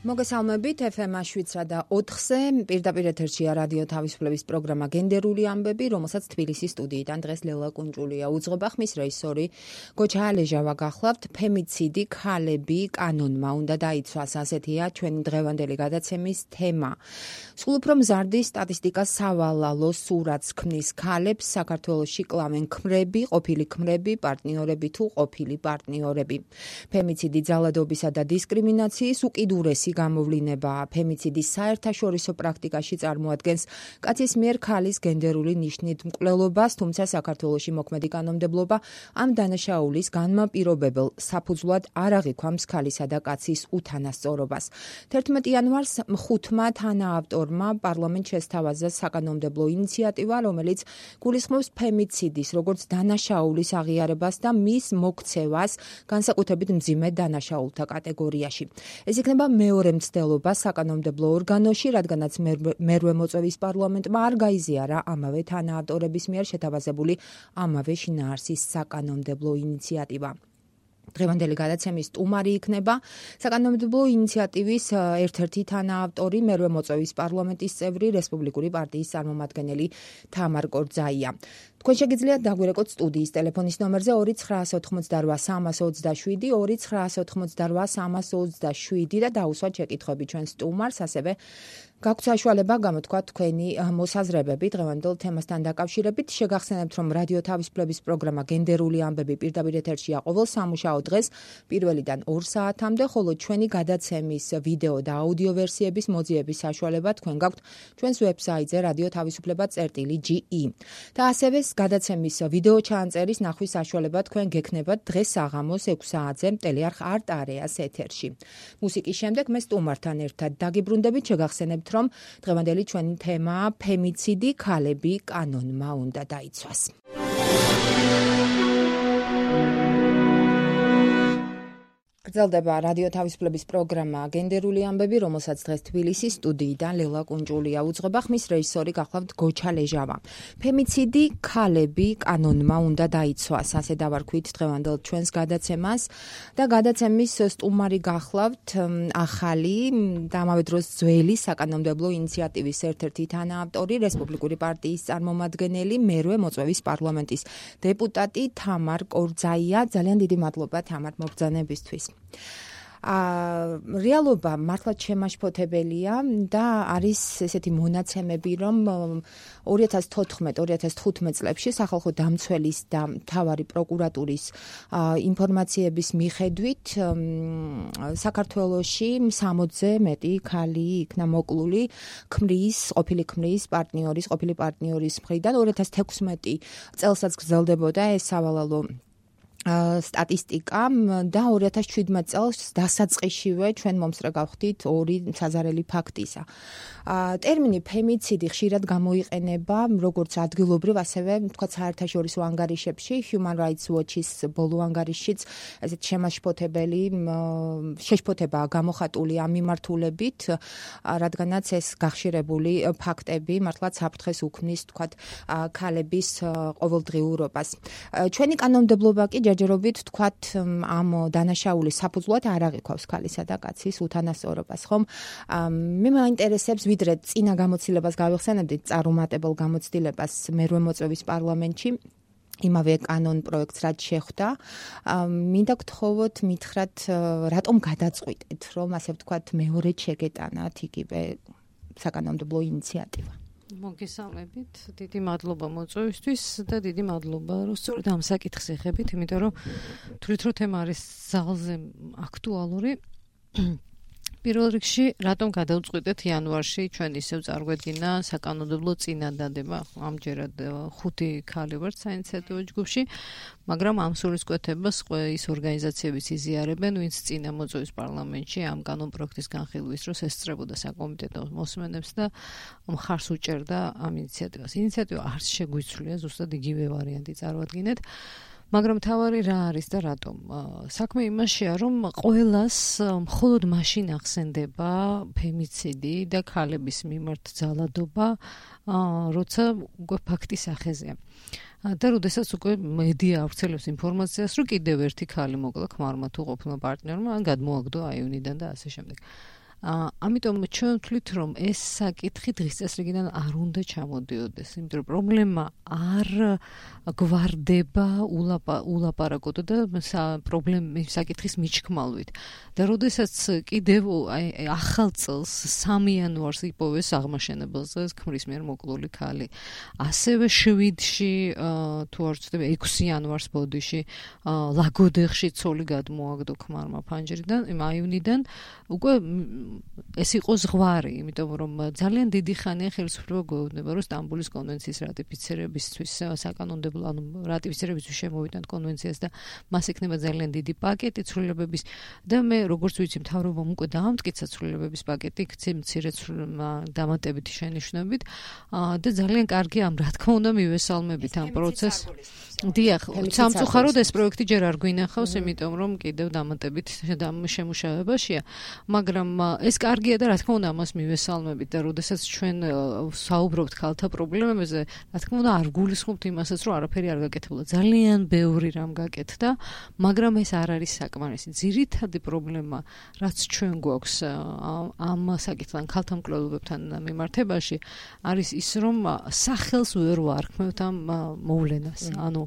მოგესალმებით FM 7.4-ზე პირდაპირ ეთერშია რადიო თავისუფლების პროგრამა გენდერული ამბები, რომელსაც თბილისის სტუდიიდან დღეს ლელა კუნჭულია უძღვება, ხმის რეჟისორი გოჩა ალეჟავა გახლავთ. ფემიციდი, ქალები კანონმა უნდა დაიცვას, ასეთია ჩვენი დღევანდელი გადაცემის თემა. სულ უფრო მზარდი სტატისტიკა სავალალო სურათს ქმნის ქალებს საქართველოში კლავენ ქმრები, ყოფილი ქმრები, პარტნიორები თუ ყოფილი პარტნიორები. ფემიციდი ძალადობისა და დისკრიმინაციის უკიდურესი გამოვლინება. ფემიციდის საერთაშორისო პრაქტიკაში წარმოადგენს კაცის მიერ ქალის გენდერული ნიშნით მკვლელობას, თუმცა საქართველოში მოქმედი კანონმდებლობა ამ დანაშაულის განმაპირობებელ საფუძვლად არ აღიქვამს ქალისა და კაცის უთანასწორობას. 11 იანვარს 5-მა თანაავტორმა პარლამენტს შესთავაზა საკანონმდებლო ინიციატივა, რომელიც გულისხმობს ფემიციდის როგორც დანაშაულის აღიარებას და მის მოქცევას განსაკუთრებით მძიმე დანაშაულთა კატეგორიაში. ეს იქნება მეორე მცდელობა საკანონმდებლო ორგანოში, რადგანაც მერვე მოწვევის პარლამენტმა არ გაიზიარა ამავე თანაავტორების მიერ შეთავაზებული ამავე შინაარსის საკანონმდებლო ინიციატივა. დღევანდელი გადაცემის სტუმარი იქნება საკანონმდებლო ინიციატივის ერთ-ერთი თანაავტორი, მერვე მოწვევის პარლამენტის წევრი, რესპუბლიკური პარტიის წარმომადგენელი თამარ კორძაია. თქვენ შეგიძლიათ დაგვირეკოთ სტუდიის ტელეფონის ნომერზე 298-327 298-327 და დაუსვათ შეკითხვები ჩვენ სტუმარს, ასევე გაქვთ საშუალება გამოთქვათ თქვენი მოსაზრებები დღევანდელ თემასთან დაკავშირებით. შეგახსენებთ, რომ რადიო თავისუფლების პროგრამა გენდერული ამბები პირდაპირ ეთერშია ყოველ სამუშაო დღეს 1-დან 2 საათამდე, ხოლო ჩვენი გადაცემის ვიდეო და აუდიო ვერსიების მოძიების საშუალება თქვენ გაქვთ ჩვენს ვებსაიტზე radiotavisupleba.ge. და ასევე გადაცემის ვიდეო ჩაანწერის ნახვის საშუალება თქვენ გექნებათ დღეს საღამოს 6 საათზე ტელეარხ არტ-არეას ეთერში. მუსიკის შემდეგ მე სტუმართან ერთად დაგიბრუნდებით, შეგახსენებთ, რომ დღევანდელი ჩვენი თემაა ფემიციდი, ქალები კანონმა უნდა დაიცვას. გრძელდება რადიო თავისუფლების პროგრამა გენდერული ამბები, რომელსაც დღეს თბილისის სტუდიიდან ლელა კუნჭულია უძღვება, ხმის რეჟისორი გახლავთ გოჩა ლეჟავა. ფემიციდი, ქალები კანონმა უნდა დაიცვას, ასე დავარქვით დღევანდელ ჩვენს გადაცემას და გადაცემის სტუმარი გახლავთ ახალი და ამავე დროს ძველი საკანონმდებლო ინიციატივის ერთ-ერთი თანაავტორი, რესპუბლიკური პარტიის წარმომადგენელი, მერვე მოწვევის პარლამენტის დეპუტატი თამარ კორძაია. ძალიან დიდი მადლობა თამარ მობრძანებისთვის. რეალობა მართლაც შემაშფოთებელია და არის ესეთი მონაცემები, რომ 2014-2015 წლებში სახალხო დამცველის და მთავარი პროკურატურის ინფორმაციების მიხედვით საქართველოში 60-ზე მეტი ქალი იქნა მოკლული ყოფილი ქმრის ყოფილი პარტნიორის მხრიდან. 2016 წელსაც გრძელდებოდა ეს სავალალო სტატისტიკა და 2017 წელს დასაწყისშივე ჩვენ მომსწრე გავხდით 2 საზარელი ფაქტისა. ტერმინი ფემიციდი ხშირად გამოიყენება როგორც ადგილობრივ, ასევე თქვათ საერთაშორისო ანგარიშებში, Human Rights Watch-ის ბოლო ანგარიშშიც ესეთ შემაშფოთებელი შეშფოთებაა გამოხატული ამ მიმართულებით, რადგანაც ეს გახშირებული ფაქტები მართლაც საფრთხეს უქმნის თქვათ ქალების ყოველდღიურობას. ჩვენი კანონმდებლობა კი ჯერჯერობით თქვათ ამ დანაშაულის საფუძვლად არ აღიქვავს ქალისა და კაცის უთანასწორობას, ხომ? მე მაინტერესებს, ვიდრე წინა გამოცდილებას გავიხსენებდით, წარუმატებელ გამოცდილებას მერვე მოწვევის პარლამენტში, იმავე კანონ პროექტს რაც შეხვდა, მინდა გთხოვოთ, მითხრათ, რატომ გადაწყვიტეთ, რომ ასე ვთქვათ, მეორედ შეგეტანათ იგივე საკანონმდებლო ინიციატივა? მოგესალმებით, დიდი მადლობა მოწვევისთვის და დიდი მადლობა, რომ სწორედ ამ საკითხს ეხებით, იმიტომ რომ თვლით, რომ თემა არის ძალზე აქტუალური. პირველ რიგში, რატომ გადავწყვიტეთ იანვარში ჩვენ ისევ წარგვედგინა საკანონმდებლო წინადადება, ამჯერად 5 ქალი ვართ საინიციატივო ჯგუფში, მაგრამ ამ სულისკვეთებას ის ორგანიზაციებიც იზიარებენ, ვინც წინა მოწვევის პარლამენტში ამ კანონპროექტის განხილვის დროს ესწრებოდა საკომიტეტო მოსმენებს და მხარს უჭერდა ამ ინიციატივას. ინიციატივა არც შეგვიცვლია, ზუსტად იგივე ვარიანტი წარვადგინეთ. მაგრამ თავარი რა არის და რატომ? საქმე იმაშია, რომ ყველას მხოლოდ მაშინ ახსენდება ფემიციდი და ქალების მიმართ ძალადობა, როცა უკვე ფაქტის სახეზეა. და როდესაც უკვე მედია ავრცელებს ინფორმაციას, რომ კიდევ ერთი ქალი მოკლა ქმარმა თუ ყოფილმა პარტნიორმა, ან გადმოაგდო აივნიდან და ასე შემდეგ. ამიტომ ჩვენ ვთვლით, რომ ეს საკითხი დღის წესრიგიდან არ უნდა ჩამოდიოდეს, იმიტომ რომ პრობლემა არ გვარდება ულაპარაკოდ და პრობლემის საკითხის მიჩქმალვით. და როდესაც კიდევ ახალ წელს 3 იანვარს იპოვეს აღმაშენებელზე ქმრის მიერ მოკლული ქალი. ასევე 7-ში თუ არ ვცდები 6 იანვარს ბოდიში ლაგოდეხში ცოლი გადმოაგდო ქმარმა ფანჯრიდან, აივნიდან. უკვე ეს იყო ზღვარი, იმიტომ რომ ძალიან დიდი ხანია ხელისუფლება გვეუბნება, რომ სტამბოლის კონვენციის რატიფიცირებისთვის საკანონმდებლო, ანუ რატიფიცირებისთვის შემოვიდნენ კონვენციას და მას ექნება ძალიან დიდი პაკეტი ცვლილებების და მე როგორც ვიცი, მთავრობამ უკვე დაამტკიცა ცვლილებების პაკეტი, მცირე დამატებითი შენიშვნებით და ძალიან კარგი ამ რა თქმა უნდა მივესალმებით ამ პროცესს. დიახ, სამწუხაროდ ეს პროექტი ჯერ არ გვინახავს, იმიტომ რომ კიდევ დამატებით შემუშავებაშია, მაგრამ ეს კარგია და რა თქმა უნდა ამას მივესალმებით და როდესაც ჩვენ საუბრობთ ქალთა პრობლემებზე, რა თქმა უნდა არ გულისხმობთ იმასაც, რომ არაფერი არ გაკეთებულა. ძალიან ბევრი რამ გაკეთდა, მაგრამ ეს არ არის საკმარისი. ძირითადი პრობლემა, რაც ჩვენ გვაქვს ამ საკითხთან ქალთა მკვლელობებთან მიმართებაში, არის ის, რომ სახელს ვერ ვარქმევთ ამ მოვლენას. ანუ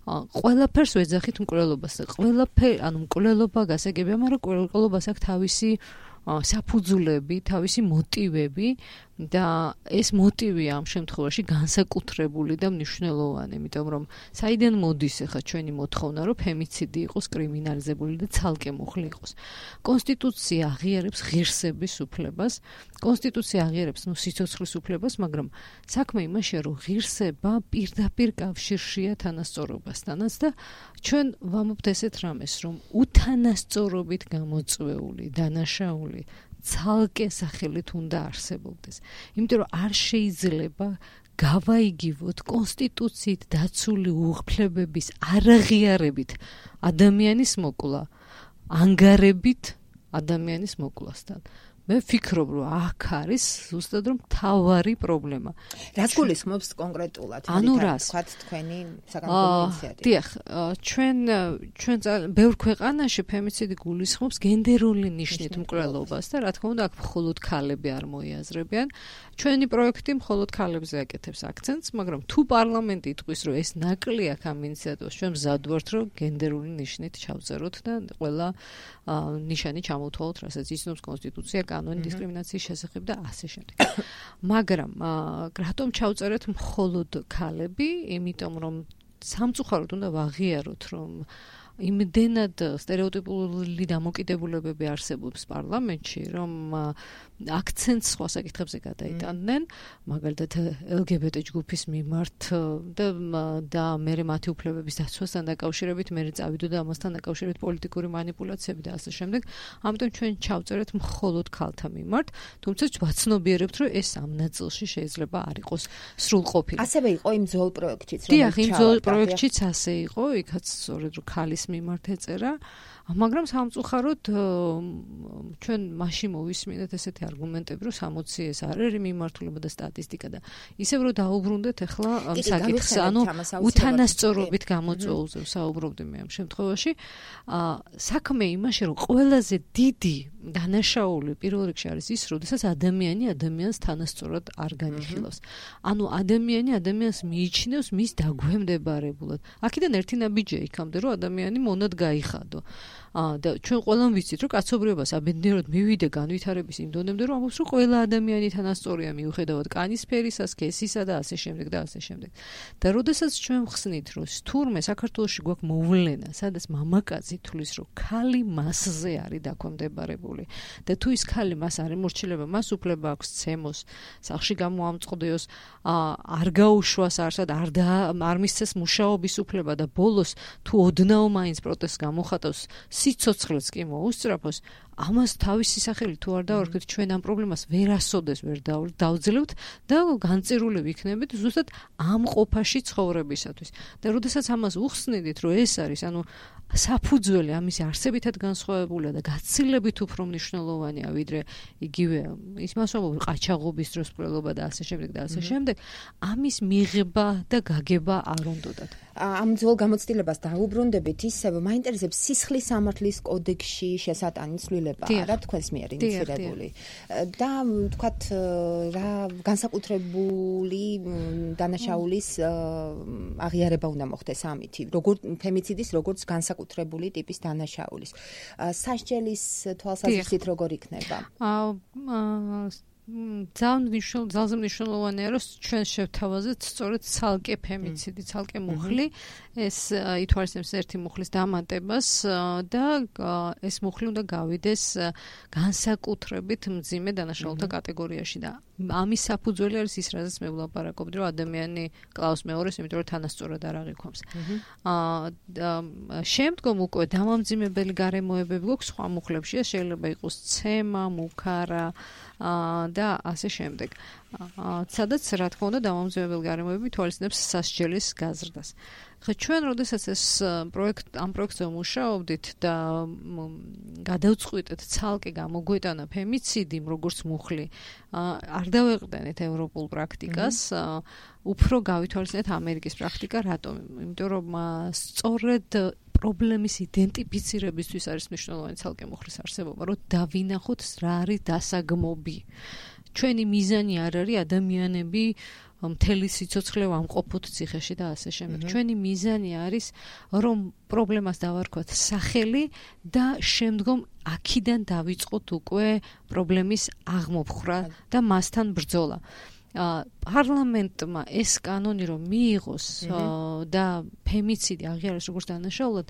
ყველაფერს ვეძახით მკვლელობას. ანუ მკვლელობა გასაგებია, მაგრამ მკვლელობას აქვს თავისი საფუძვლები, თავისი მოტივები და ეს მოტივია ამ შემთხვევაში განსაკუთრებული და მნიშვნელოვანი, იმიტომ რომ საიდან მოდის ახლა ჩვენი მოთხოვნა, რომ ფემიციდი იყოს კრიმინალიზებული და ცალკე მუხლი იყოს. კონსტიტუცია აღიარებს ღირსების უფლებას, კონსტიტუცია აღიარებს სიცოცხლის უფლებას, მაგრამ საქმე იმაშია, რომ ღირსება პირდაპირ კავშირშია თანასწორობასთანაც და ჩვენ ვამბობთ ესეთ რამეს, რომ უთანასწორობით გამოწვეული დანაშაული ცალკე სახელით უნდა არსებობდეს. იმიტომ რომ არ შეიძლება გავაიგივოთ კონსტიტუციით დაცული უფლებების არაღიარებით ადამიანის მოკლა, ანგარებით ადამიანის მოკლასთან. მე ვფიქრობ, რომ აქ არის ზუსტად რომ თავარი პრობლემა. რაც გულისხმობს კონკრეტულად, ანუ რას? თქვათ თქვენი საკანონმდებლო ინიციატივა. დიახ, ჩვენ ბევრ ქვეყანაში ფემიციდი გულისხმობს გენდერული ნიშნით მკვლელობას და რა თქმა უნდა აქ მხოლოდ ქალები არ მოიაზრებიან. ჩვენი პროექტი მხოლოდ ქალებზე აკეთებს აქცენტს, მაგრამ თუ პარლამენტი იტყვის, რომ ეს ნაკლია ამ ინიციატივას, ჩვენ მზად ვართ, რომ გენდერული ნიშნით ჩავწეროთ და ყველა ნიშანი ჩამოვთვალოთ, რასაც იცნობს კონსტიტუცია, კანონი დისკრიმინაციის შესახებ და ასე შემდეგ. მაგრამ რატომ ჩავწერეთ მხოლოდ ქალები? იმიტომ რომ სამწუხაროდ უნდა ვაღიაროთ, რომ იმდენად სტერეოტიპული დამოკიდებულებები არსებობს პარლამენტში, რომ აქცენტს სხვა საკითხებზე გადაიტანდნენ, მაგალითად LGBT ჯგუფის მიმართ და მერე მათი უფლებების დაცვასთან დაკავშირებით, მერე წავიდო და ამასთან დაკავშირებით პოლიტიკური манипуляციები და ასე შემდეგ. ამიტომ ჩვენ ჩავწერეთ მხოლოდ ქალთა მიმართ, თუმცა ვაცნობიერებთ, რომ ეს ამ ნაწილში შეიძლება არ იყოს სრულყოფილი. ასევე იყო იმ ძველ პროექტიც, დიახ, იმ ძველ პროექტშიც ასე იყო, იქაც სწორედ რომ ქალის მიმართ ეწერა, მაგრამ სამწუხაროდ ჩვენ მაშინ მოვისმინეთ ესეთი არგუმენტები, რომ 60 ეს არ არის მიმართულება და სტატისტიკა და ისევ რომ დაუბრუნდეთ ახლა საკითხს, ანუ უთანასწორობით გამოწვეულზე საუბრობდი მე ამ შემთხვევაში. საქმე იმაში, რომ ყველაზე დიდი დანაშაული პირველ რიგში არის ის, როდესაც ადამიანი ადამიანს თანასწორად არ განიხილავს. ანუ ადამიანი ადამიანს მიიჩნევს მის დაგვემდებარებულად. აქედან ერთი ნაბიჯია იქამდე, რომ ადამიანი მონად გაიხადო. და ჩვენ ყველამ ვიცით, რომ კაცობრიობას აბედნიეროდ მივიდა განვითარების იმ დონემდე, რომ ამბობს, რომ ყველა ადამიანი თანასწორია მიუხედავად კანის ფერისა, სქესისა და ასე შემდეგ და ასე შემდეგ. და როდესაც ჩვენ ვხსნით, რომ თურმე საქართველოში გვაქვს მოვლენა, სადაც მამაკაცი თulis, რომ ქალი მასზე არის დაქვემდებარებული და თუ ის ქალი მას არ ემორჩილება, მას უფლება აქვს ცემოს, სახლში გამოამწყდეოს, არ გაუშვას არსად, არ მისცეს მუშაობის უფლება და ბოლოს თუ ოდნავ მაინც პროტესტს გამოხატავს, სიცოცხლეც კი მოუსწრაფოს, ამას თავისი სახელი თუ არ დავარქვით, ჩვენ ამ პრობლემას ვერასოდეს ვერ დავძლებთ და განწირული ვიქნებით ზუსტად ამ ყოფაში ცხოვრებისათვის. და როდესაც ამას უხსნიდით, რომ ეს არის, ანუ საფუძველი ამისი არსებითად განსხვავებულია და გაცილებით უფრო უფრო მნიშვნელოვანია ვიდრე იგივე ის მასშტაბური ყაჩაღობის დროს მკვლელობა და ასე შემდეგ და ასე შემდეგ ამის მიღება და გაგება არ უნდათ. ამ ძველ გამოცდილებას დაუბრუნდებით ისევ მაინტერესებს სისხლის სამართლის კოდექსში შესატანი ცვლილება არა თქვენს მიერ ინიცირებული და თქვათ რა განსაკუთრებული დანაშაულის აღიარება უნდა მოხდეს ამითი როგორც ფემიციდის როგორც განსაკუთრებული ტიპის დანაშაულის სასჯელის თვალსაზრისით როგორ იქნება ძალზე მნიშვნელოვანია რომ ჩვენ შევთავაზეთ სწორედ ცალკე ფემიციდი, ცალკე მუხლი ეს ითვალისწინებს ერთი მუხლის დამატებას და ეს მუხლი უნდა გავიდეს განსაკუთრებით მძიმე დანაშაულთა კატეგორიაში და ამის საფუძველი არის ის, რაზეც მე ვლაპარაკობდი, რომ ადამიანი კლავს მეორეს, იმიტომ რომ თანასწორად არ აღიქვამს. შემდგომ უკვე დამამძიმებელი გარემოებები გვაქვს სხვა მუხლებში, შეიძლება იყოს ცემა, მუქარა და ასე შემდეგ. სადაც რა თქმა უნდა დამამძიმებელი გარემოებები თვალისწინებს სასჯელის გაზრდას. ხა ჩვენ როდესაც ეს ამ პროექტზე ვმუშაობდით და გადავწყვიტეთ ცალკე გამოგვეტანა ფემიციდიმ როგორც მუხლი არ დავეყრდენით ევროპულ პრაქტიკას უფრო გავითვალისწინეთ ამერიკის პრაქტიკა რატომ იმიტომ რომ სწორედ პრობლემის იდენტიფიცირებისთვის არის მნიშვნელოვანი ცალკე მუხლის არსებობა რომ დავინახოთ რა არის დასაგმობი ჩვენი მიზანი არ არის ადამიანები მთელი სიცოცხლე ვამყოფოთ ციხეში და ასე შემდეგ. ჩვენი მიზანი არის რომ პრობლემას დავარქვათ სახელი და შემდგომ აქედან დავიწყოთ უკვე პრობლემის აღმოფხვრა და მასთან ბრძოლა. პარლამენტმა ეს კანონი რომ მიიღოს და ფემიციდი აღიარეს როგორც დანაშაულად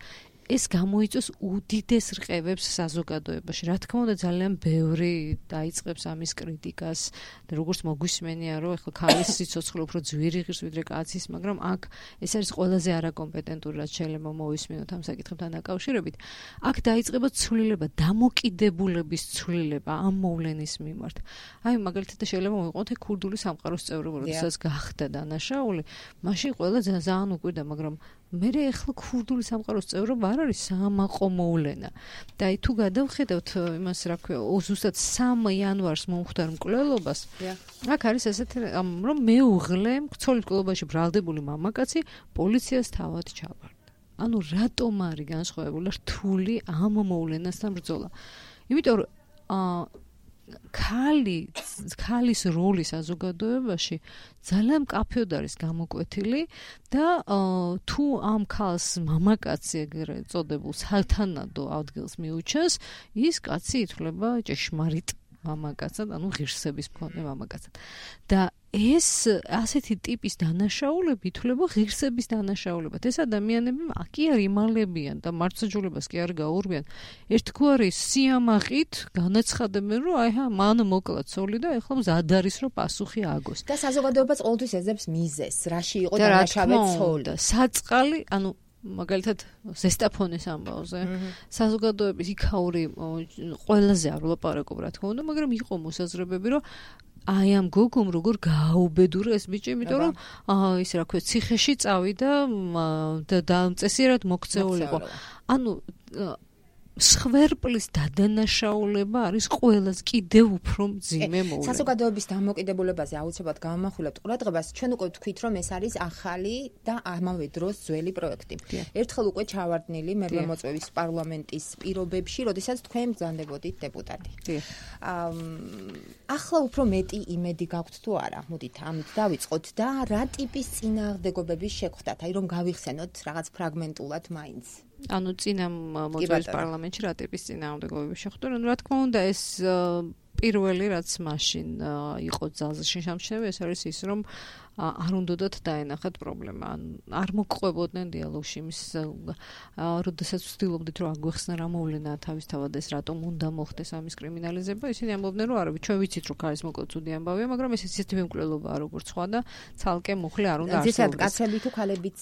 ეს გამოიწვევს უდიდეს რყევებს საზოგადოებაში. რა თქმა უნდა ძალიან ბევრი დაიწყებს ამის კრიტიკას და როგორც მოგვისმენია რომ ეხლა ქალის სიცოცხლე უფრო ძვირი ღირს ვიდრე კაცის, მაგრამ აქ ეს არის ყველაზე არაკომპეტენტური რაც შეიძლება მოვისმინოთ ამ საკითხებთან დაკავშირებით. აქ დაიწყება ცვლილება, დამოკიდებულების ცვლილება ამ მოვლენის მიმართ. აი მაგალითად შეიძლება მოვიყვანოთ ქურდული სამყაროს წევრობა, როდესაც გახდა დანაშაული, მაშინ ყველა ძალიან უკვირდა, მაგრამ მე ეხლა ქურდული სამყაროს წევრობა არ არის საამაყო მოვლენა. და აი თუ გადავხედავთ იმას რა ქვია, ზუსტად 3 იანვარს მომხდარ მკვლელობას. აქ არის ესეთი რომ მეუღლე მკვლელი მკვლელობაში ბრალდებული მამაკაცი პოლიციას თავად ჩაბარდა. ანუ რატომ არის განსხვავებული რთული ამ მოვლენასთან ბრძოლა? იმიტომ რომ ქალის როლი საზოგადოებაში ძალიან მკაფიოდ არის გამოკვეთილი და თუ ამ ქალს მამაკაცი ეგრე წოდებულ სათანადო ადგილს მიუჩენს, ის კაცი ითვლება ჭეშმარიტ მამაკაცად, ანუ ღირსების მქონე მამაკაცად. და ეს ასეთი ტიპის დანაშაულები ითვლება ღირსების დანაშაულებად. ეს ადამიანები კი არ იმალებიან და მართლმსაჯულებას კი არ გაურბიან. ერთგვარი სიამაყით განაცხადებენ, რომ აი მან მოკლა ცოლი და ეხლა მზად არის რომ პასუხი აგოს. და საზოგადოებას ყოველთვის ეძებს მიზეზს, რაში იყო დანაშავე ცოლი. საწყალი, ანუ მაგალითად ზესტაფონის ამბავზე საზოგადოების იქაური ყველაზე არ ვლაპარაკობ რა თქმა უნდა, მაგრამ იყო მოსაზრებები, რომ აი ამ გოგომ როგორ გააუბედურა ეს ბიჭი, იმიტომ რომ ის რა ქვია, ციხეში წავიდა და წესიერად მოქცეულიყო. ანუ სხვერპლის დადანაშაულება არის ყველაზე კიდევ უფრო მძიმე მოვლენა. საზოგადოების დამოკიდებულებაზე აუცილებლად გამახვილებთ ყურადღებას. ჩვენ უკვე ვთქვით, რომ ეს არის ახალი და ამავე დროს ძველი პროექტი. ერთხელ უკვე ჩავარდნილი მერლემოწვევის პარლამენტის პირობებში, როდესაც თქვენ ბრძანდებოდით დეპუტატი. ახლა უფრო მეტი იმედი გაქვთ თუ არა? მოდით ამით დავიწყოთ და რა ტიპის წინააღმდეგობების შეხვდათ, აი რომ გავიხსენოთ რაღაც ფრაგმენტულად მაინც. ანუ წინა მოწვევის პარლამენტში რა ტიპის წინააღმდეგობები შეხვდა? ანუ რა თქმა უნდა ეს პირველი რაც მაშინ იყო ძალზე შეშამჩნევი, ეს არის ის რომ არ უნდათ დაენახათ პრობლემა. არ მოგყვებოდნენ დიალოგში იმის, როდესაც ვცდილობდით რომ აგვეხსნა რა მოვლენა თავისთავად ეს რატომ უნდა მოხდეს ამის კრიმინალიზება, ისინი ამბობდნენ რომ არა, ჩვენ ვიცით რომ ქალის მოკლა ცუდი ამბავია, მაგრამ ეს ისეთი მკვლელობაა როგორც სხვა და ცალკე მუხლი არ უნდა არსებობდეს. ძირითადად კაცები თუ ქალებიც?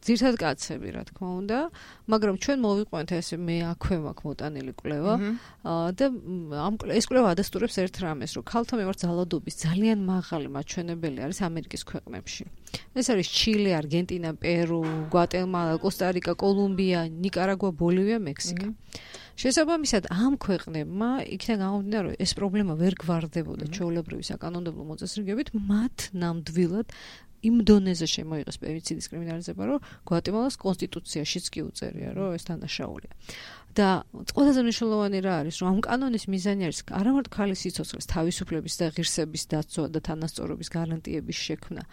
ძირითადად კაცები რა თქმა უნდა, მაგრამ ჩვენ მოვიყვანთ ესე მე აქვე მაქვს მოტანილი კვლევა და ეს კვლევა ადასტურებს ერთ რამეს, რომ ქალთა მიმართ ძალადობის ძალიან მაღალი მაჩვენებელი არის ამერიკის ქვეყნებში. ეს არის ჩილე, არგენტინა, პერუ, გვატემალა, კოსტა-რიკა, კოლუმბია, ნიკარაგუა, ბოლივია, მექსიკა. შესაბამისად ამ ქვეყნებმა იქიდან გამომდინარე რომ ეს პრობლემა ვერ გვარდებოდა ჩვეულებრივი საკანონმდებლო მოწესრიგებით, მათ ნამდვილად იმ დონეზე შემოიღეს ფემიციდის კრიმინალიზება, რომ გვატემალას კონსტიტუციაშიც კი უწერია, რომ ეს დანაშაულია. და ყველაზე მნიშვნელოვანი რა არის, რომ ამ კანონის მიზანი არის არამარტო ქალის სიცოცხლის თავისუფლების და ღირსების დაცვა და თანასწორობის გარანტიების შექმნა,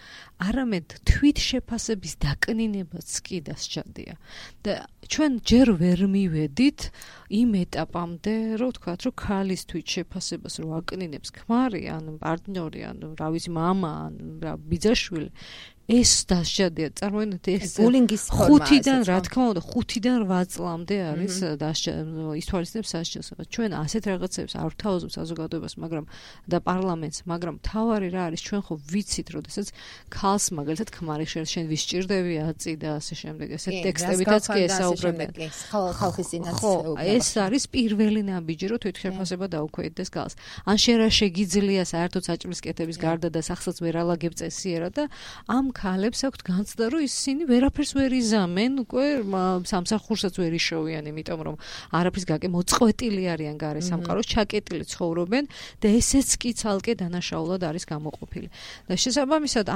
არამედ თვით შეფასების დაკნინებაც კი დასჭადია. და ჩვენ ჯერ ვერ მივედით იმ ეტაპამდე, რომ ვთქვათ, რომ ქალის თვით შეფასებას რო აკნინებს ქმარი, ან პარტნიორი, ან რა ვიცი, მამა, ან რა ბიძაშვილი, ეს დასჭადია. წარმოიდგინეთ, ეს ბულინგის ფორმა. 5-დან, რა თქმა უნდა, 5-დან 8 წლამდე არის ითვალისწინებს სასჯელს. ჩვენ ასეთ რაღაცებს არ ვთავაზობთ საზოგადოებას, მაგრამ და პარლამენტს, მაგრამ თავარი რა არის, ჩვენ ხო ვიცით, როდესაც ქალს მაგალითად ქმარი შენ ვისჭირდები აწი და ასე შემდეგ, ესეთ ტექსტებითაც კი ესაუბრებენ. ხალხის წინაც. ხო, ეს არის პირველი ნაბიჯი, რომ თვით შეფასება დაუქვეითდეს ქალს. ან შენ რა შეგიძლია საერთოდ საჭმლის კეთების გარდა და სახსაც ვერ ალაგებ წესიერად და ამ ქალებს აქვთ განცდა, რომ ისინი ვერაფერს ვერ იზამენ, უკვე სამსახურსაც ვერ იშოვიან, იმიტომ რომ არაფრის გაკე მოწყვეტილი არიან გარე სამყაროს, ჩაკეტილი ცხოვრობენ და ესეც კი ცალკე დანაშაულად არის გამოყოფილი. და შესაბამისად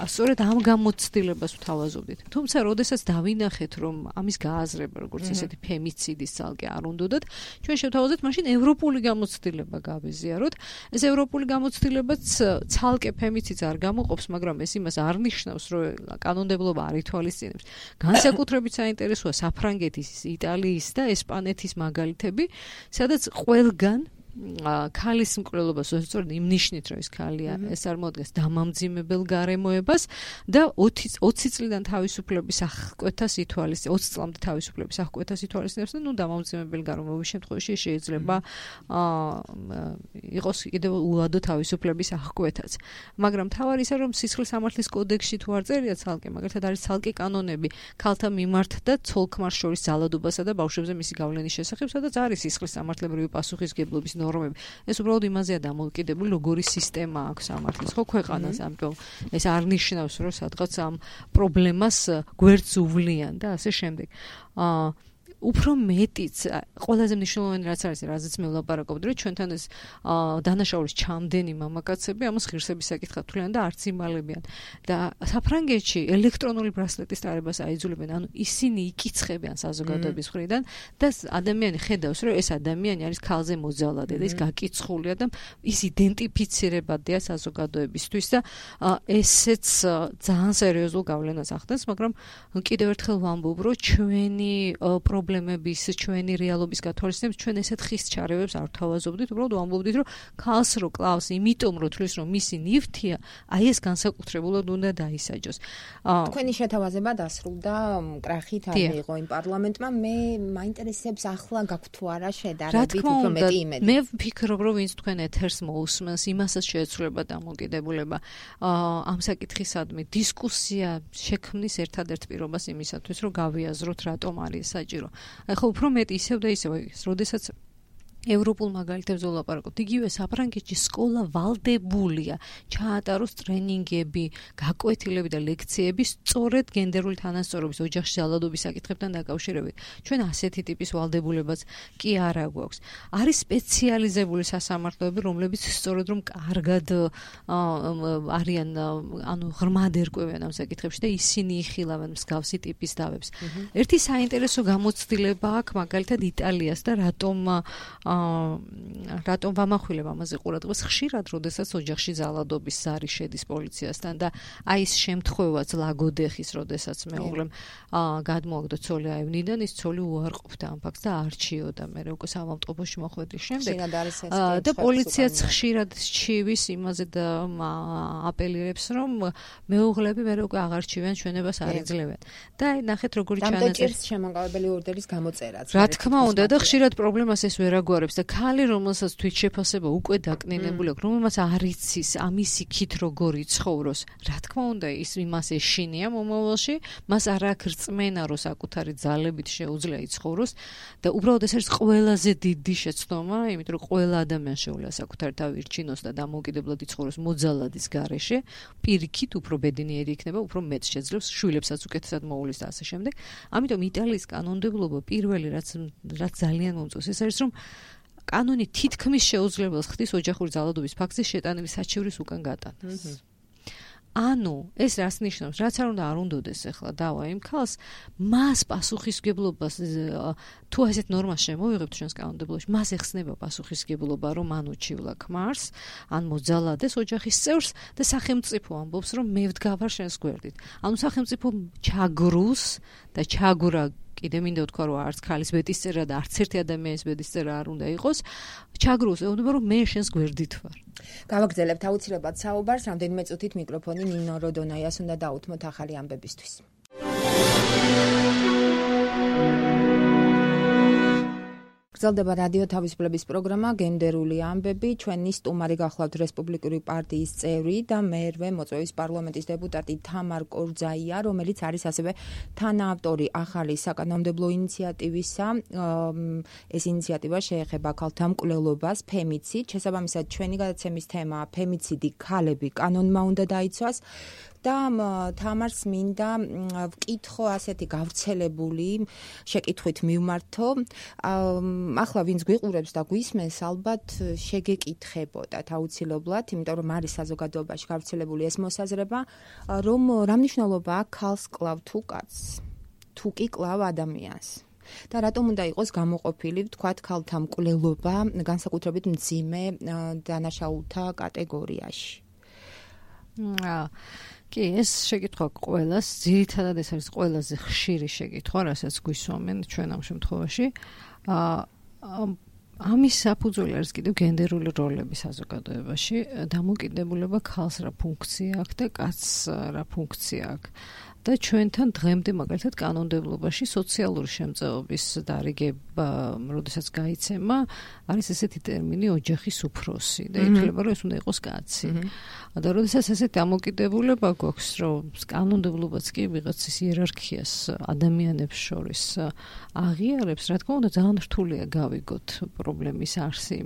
სწორედ ამ გამოცდილებას ვთავაზობდით. თუმცა, როდესაც დავინახეთ, რომ ამის გააზრება, როგორც ესეთი ფემიციდის ცალკე არ უნდათ, ჩვენ შევთავაზეთ მაშინ ევროპული გამოცდილება გავეზიაროთ. ეს ევროპული გამოცდილებაც ცალკე ფემიციდს არ გამოყოფს, მაგრამ ეს იმას არ ნიშნავს, რომ კანონმდებლობა არ ითვალისწინებს. განსაკუთრებით საინტერესოა საფრანგეთის, იტალიის და ესპანეთის მაგალითები, სადაც ყველგან ქალის მკვლელობას სწორედ იმ ნიშნით, რომ ეს ქალია, ეს წარმოადგენს დამამძიმებელ გარემოებას და 20 წლიდან თავისუფლების აღკვეთას ითვალისწინებს, 20 წლამდე თავისუფლების აღკვეთას ითვალისწინებს და დამამძიმებელ გარემოების შემთხვევაში შეიძლება იყოს კიდევ უადო თავისუფლების აღკვეთაც. მაგრამ თავარი ისე რომ სისხლის სამართლის კოდექსში თუ არ წერია ცალკე, მაგალითად არის ცალკე კანონები ქალთა მიმართ და ცოლ-ქმარს შორის ძალადობასა და ბავშვებზე მისი გავლენის შესახებ, სადაც არის სისხლის სამართლებრივი პასუხისგებლობის ეს უბრალოდ იმაზეა დამოკიდებული, როგორი სისტემა აქვს სამართლის ხო ქვეყანას, ამიტომ ეს არ ნიშნავს, რომ სადღაც ამ პრობლემას გვერდს უვლიან და ასე შემდეგ. უფრო მეტიც ყველაზე მნიშვნელოვანი რაც არის, რაზეც მე ვლაპარაკობდი, რომ ჩვენთან ეს დანაშაულის ჩამდენი მამაკაცები ამას ღირსების საკითხად თვლიან და არც იმალებიან. და საფრანგეთში ელექტრონული ბრასლეტის ტარებას აიძულებენ, ანუ ისინი იკიცხებიან საზოგადოების მხრიდან და ადამიანი ხედავს, რომ ეს ადამიანი არის ქალზე მოძალადე და ის გაკიცხულია და ის იდენტიფიცირებადია საზოგადოებისთვის და ესეც ძალიან სერიოზულ გავლენას ახდენს, მაგრამ კიდევ ერთხელ ვამბობ, რომ ჩვენი პრობლემების, ჩვენი რეალობის გათვალისწინებით ჩვენ ესეთ ხის ჩარევებს არ ვთავაზობდით, უბრალოდ ვამბობდით, რომ ქალს რო კლავს, იმიტომ რომ თulis რომ მისი ნივთია, აი ეს განსაკუთრებულად უნდა დაისაჯოს. თქვენი შეთავაზება დასრულდა კრახით არ მიიღო იმ პარლამენტმა, მე მაინტერესებს ახლა გაქვთ თუ არა შედარებით უფრო მეტი იმედი. მე ვფიქრობ, რომ ვინც თქვენ ეთერს მოусმენს, იმასაც შეეცვლება დამოკიდებულება ამ საკითხისადმი დისკუსია შექმნის ერთადერთ პირობას იმისათვის, რომ გავიაზროთ რატომ არის საჭირო. ხო უფრო მეტი ისევ და ისევ, როდესაც ევროპულ მაგალითებზე ვლაპარაკობთ. იგივე საფრანგეთში სკოლა ვალდებულია ჩაატაროს ტრენინგები, გაკვეთილები და ლექციები სწორედ გენდერული თანასწორობის, ოჯახში ძალადობის საკითხებთან დაკავშირებით. ჩვენ ასეთი ტიპის ვალდებულებაც კი არა გვაქვს. არის სპეციალიზებული სასამართლოები, რომლებიც სწორედ რომ კარგად არიან, ანუ ღრმად ერკვევიან ამ საკითხებში და ისინი იხილავენ მსგავსი ტიპის დავებს. ერთი საინტერესო გამოცდილება აქვს მაგალითად იტალიას და რატომ ვამახვილებ ამაზე ყურადღებას ხშირად, როდესაც ოჯახში ძალადობის ზარი შედის პოლიციასთან და აი ეს შემთხვევაც ლაგოდეხის, როდესაც მეუღლემ გადმოაგდო ცოლი აევნიდან, ის ცოლი უარყოფდა ამ ფაქტს და არჩიოდა მე უკვე სამავტყოფოში მოხვედრის შემდეგ. და პოლიციაც ხშირად სჩივის იმაზე და აპელირებს, რომ მეუღლები მე უკვე აღარჩივენ, ჩვენებას არ იძლევენ. და აი ნახეთ როგორი ჩანაწერი შემოგავებელი ორდერის გამოწერაც. რა თქმა უნდა და ხშირად პრობლემას ეს ვერ ემთხვეგვარებს და ქალი რომელსაც თვითშეფასება უკვე დაკნინებული აქვს, რომელმაც არ იცის ამის იქით როგორ იცხოვროს, რა თქმა უნდა ის იმას ეშინია მომავალში, მას არ აქვს რწმენა რომ საკუთარი ძალებით შეუძლია იცხოვროს და უბრალოდ ეს არის ყველაზე დიდი შეცდომა, იმიტომ რომ ყველა ადამიანს შეუძლია საკუთარი თავი ირჩინოს და დამოუკიდებლად იცხოვროს მოძალადის გარეშე, პირიქით უფრო ბედნიერი იქნება, უფრო მეტ შეძლებს, შვილებსაც უკეთესად მოუვლის და ასე შემდეგ. ამიტომ იტალიის კანონმდებლობა პირველი რაც ძალიან მომწონს ეს არის რომ კანონი თითქმის შეუძლებელს ხდის ოჯახური ძალადობის ფაქტის შეტანილი საჩივრის უკან გატანას. ანუ ეს რას ნიშნავს? რაც არ უნდადეს ახლა დავა იმ ქალს, მას პასუხისგებლობას თუ ასეთ ნორმას შემოვიღებთ ჩვენს კანონმდებლობაში, მას ეხსნება პასუხისგებლობა, რომ ან უჩივლა ქმარს, ან მოძალადეს ოჯახის წევრს და სახელმწიფო ამბობს, რომ მე ვდგავარ შენს გვერდით. ანუ სახელმწიფო ჩაგრუს და ჩაგურა კიდე მინდა ვთქვა რომ არც ქალის ბედისწერა და არც ერთი ადამიანის ბედისწერა არ უნდა იყოს ჩაგრუს ეუბნება რომ მე შენს გვერდით ვარ. გავაგრძელებთ აუცილებლად საუბარს რამდენიმე წუთით მიკროფონი ნინო როდონაიას უნდა დაუთმოთ ახალი ამბებისთვის. გრძელდება რადიო თავისუფლების პროგრამა გენდერული ამბები. ჩვენი სტუმარი გახლავთ რესპუბლიკური პარტიის წევრი და მერვე მოწვევის პარლამენტის დეპუტატი თამარ კორძაია, რომელიც არის ასევე თანაავტორი ახალი საკანონმდებლო ინიციატივისა. ეს ინიციატივა შეეხება ქალთა მკვლელობას, ფემიციდ. შესაბამისად, ჩვენი გადაცემის თემაა ფემიციდი ქალები კანონმა უნდა დაიცვას. და თამარს მინდა ვკითხო ასეთი გავრცელებული შეკითხვით მივმართო. ახლა ვინც გვიყურებს და გვისმენს, ალბათ შეგეკითხებოდათ აუცილებლად, იმიტომ რომ არის საზოგადოებაში გავრცელებული ეს მოსაზრება, რომ რა მნიშვნელობა აქვს ქალს კლავ თუ კაცს, თუ კი კლავ ადამიანს. და რატომ უნდა იყოს გამოყოფილი, ვთქვათ, ქალთა მკვლელობა განსაკუთრებით მძიმე დანაშაულთა კატეგორიაში. კი, ეს შეკითხვა ყველას, ძირითადად ეს არის ყველაზე ხშირი შეკითხვა, რასაც გვისვამენ ჩვენ ამ შემთხვევაში. ამის საფუძველი არის კიდევ გენდერული როლები საზოგადოებაში, დამოკიდებულება ქალს რა ფუნქცია აქვს და კაცს რა ფუნქცია აქვს. და ჩვენთან დღემდე მაგალითად კანონმდებლობაში სოციალური შემწეობის დარიგება, როდესაც გაიცემა, არის ესეთი ტერმინი ოჯახის უფროსი და ითვლება, რომ ეს უნდა იყოს კაცი. და როდესაც ესეთი დამოკიდებულება გვაქვს, რომ კანონმდებლობაც კი ვიღაცის იერარქიას ადამიანებს შორის აღიარებს, რა თქმა უნდა, ძალიან რთულია გავიგოთ პრობლემის არსი.